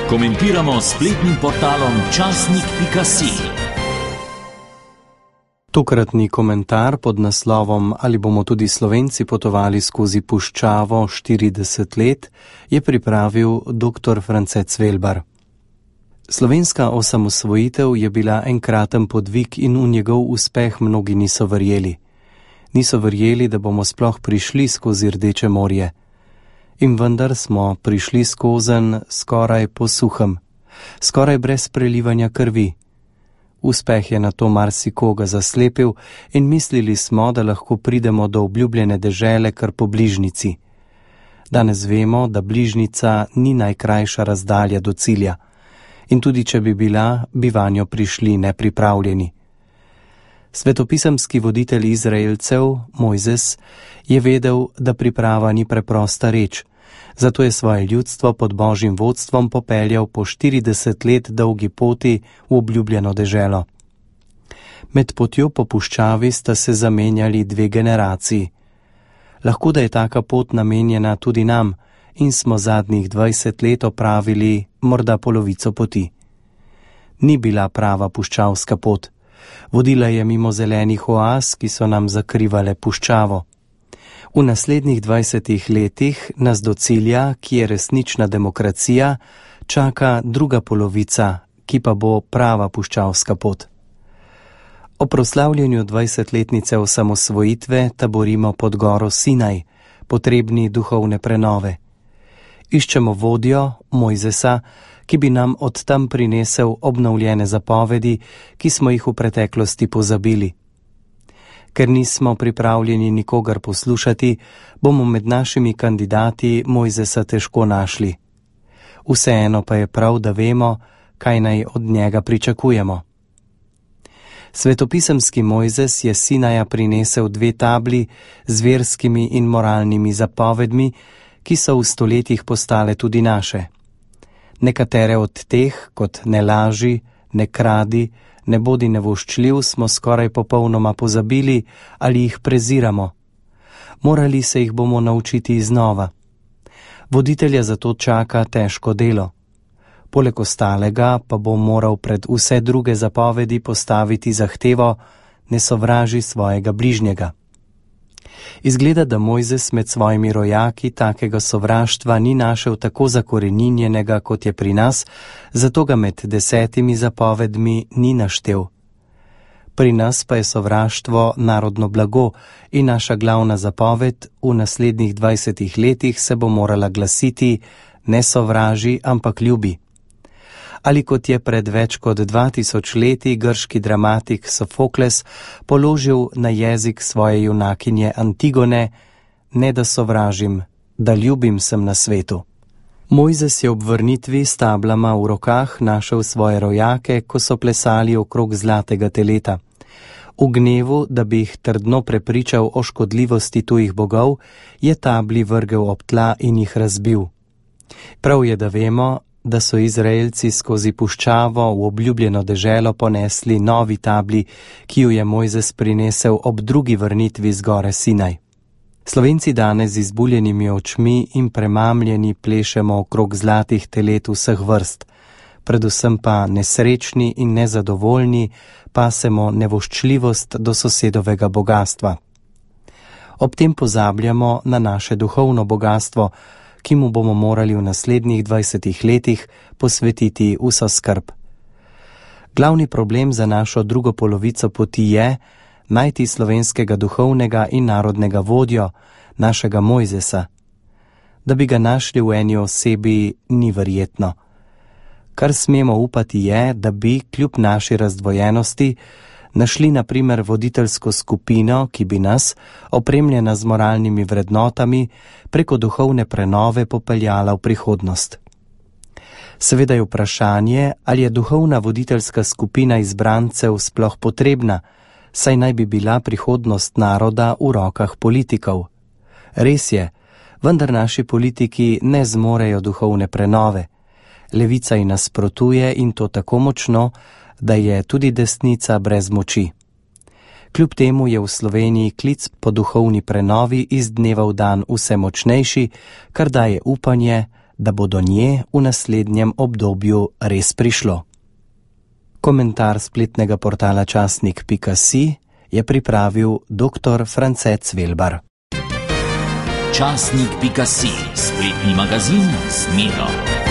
Komentiramo s spletnim portalom časnik.si. Tokratni komentar pod naslovom Ali bomo tudi Slovenci potovali skozi puščavo 40 let je pripravil dr. France Cvelbar. Slovenska osamosvojitev je bila enkraten podvig in v njegov uspeh mnogi niso verjeli. Niso verjeli, da bomo sploh prišli skozi Rdeče morje. In vendar smo prišli skozenj skoraj po suhem, skoraj brez prelivanja krvi. Uspeh je na to marsikoga zaslepil in mislili smo, da lahko pridemo do obljubljene dežele kar po bližnjici. Danes vemo, da bližnjica ni najkrajša razdalja do cilja. In tudi če bi bila, bi vanjo prišli nepripravljeni. Svetopisemski voditelj Izraelcev, Mojzes, je vedel, da priprava ni preprosta reč, zato je svoje ljudstvo pod Božjim vodstvom popeljal po 40 let dolgi poti v obljubljeno deželo. Med potjo po puščavi sta se zamenjali 2 generaciji. Lahko da je taka pot namenjena tudi nam in smo zadnjih 20 let opravili morda polovico poti. Ni bila prava puščavska pot. Vodila je mimo zelenih oaz, ki so nam zakrivale puščavo. V naslednjih 20 letih nas do cilja, ki je resnična demokracija, čaka druga polovica, ki pa bo prava puščavska pot. O proslavljanju 20-letnice osamosvojitve taborimo pod goro Sinaj, potrebni duhovne prenove. Iščemo vodjo, Mojzesa, ki bi nam od tam prinesel obnovljene zapovedi, ki smo jih v preteklosti pozabili. Ker nismo pripravljeni nikogar poslušati, bomo med našimi kandidati Mojzesa težko našli. Vseeno pa je prav, da vemo, kaj naj od njega pričakujemo. Svetopisemski Mojzes je Sinaja prinesel 2 tabli z verskimi in moralnimi zapovedmi, ki so v stoletjih postale tudi naše. Nekatere od teh, kot ne laži, ne kradi, ne bodi nevoščljiv, smo skoraj popolnoma pozabili ali jih preziramo. Morali se jih bomo naučiti iznova. Voditelja zato čaka težko delo. Poleg ostalega pa bo moral pred vse druge zapovedi postaviti zahtevo: ne sovraži svojega bližnjega. Izgleda, da Mojzes med svojimi rojaki takega sovraštva ni našel tako zakoreninjenega, kot je pri nas, zato ga med 10 zapovedmi ni naštel. Pri nas pa je sovraštvo narodno blago in naša glavna zapoved v naslednjih 20 letih se bo morala glasiti: ne sovraži, ampak ljubi. Ali kot je pred več kot 2000 leti grški dramatik Sofokles položil na jezik svoje junakinje Antigone: ne da sovražim, da ljubim sem na svetu. Mojzes je ob vrnitvi s tablama v rokah našel svoje rojake, ko so plesali okrog zlatega teleta. V gnevu, da bi jih trdno prepričal o škodljivosti tujih bogov, je tabli vrgel ob tla in jih razbil. Prav je, da vemo, da so Izraelci skozi puščavo v obljubljeno deželo ponesli novi tabli, ki jo je Mojzes prinesel ob drugi vrnitvi z gore Sinaj. Slovenci danes z izbuljenimi očmi in premamljeni plešemo okrog zlatih telet vseh vrst, predvsem pa nesrečni in nezadovoljni pasemo nevoščljivost do sosedovega bogastva. Ob tem pozabljamo na naše duhovno bogastvo, ki mu bomo morali v naslednjih 20 letih posvetiti vso skrb. Glavni problem za našo drugo polovico poti je najti slovenskega duhovnega in narodnega vodjo, našega Mojzesa. Da bi ga našli v eni osebi, ni verjetno. Kar smemo upati je, da bi, kljub naši razdvojenosti, našli na primer voditeljsko skupino, ki bi nas, opremljena z moralnimi vrednotami, preko duhovne prenove popeljala v prihodnost. Seveda je vprašanje, ali je duhovna voditeljska skupina izbrancev sploh potrebna, saj naj bi bila prihodnost naroda v rokah politikov. Res je, vendar naši politiki ne zmorejo duhovne prenove. Levica ji nasprotuje in to tako močno, da je tudi desnica brez moči. Kljub temu je v Sloveniji klic po duhovni prenovi iz dneva v dan vse močnejši, kar daje upanje, da bo do nje v naslednjem obdobju res prišlo. Komentar spletnega portala časnik.si je pripravil dr. France Cvelbar. Časnik.si, spletni magazin z Miro.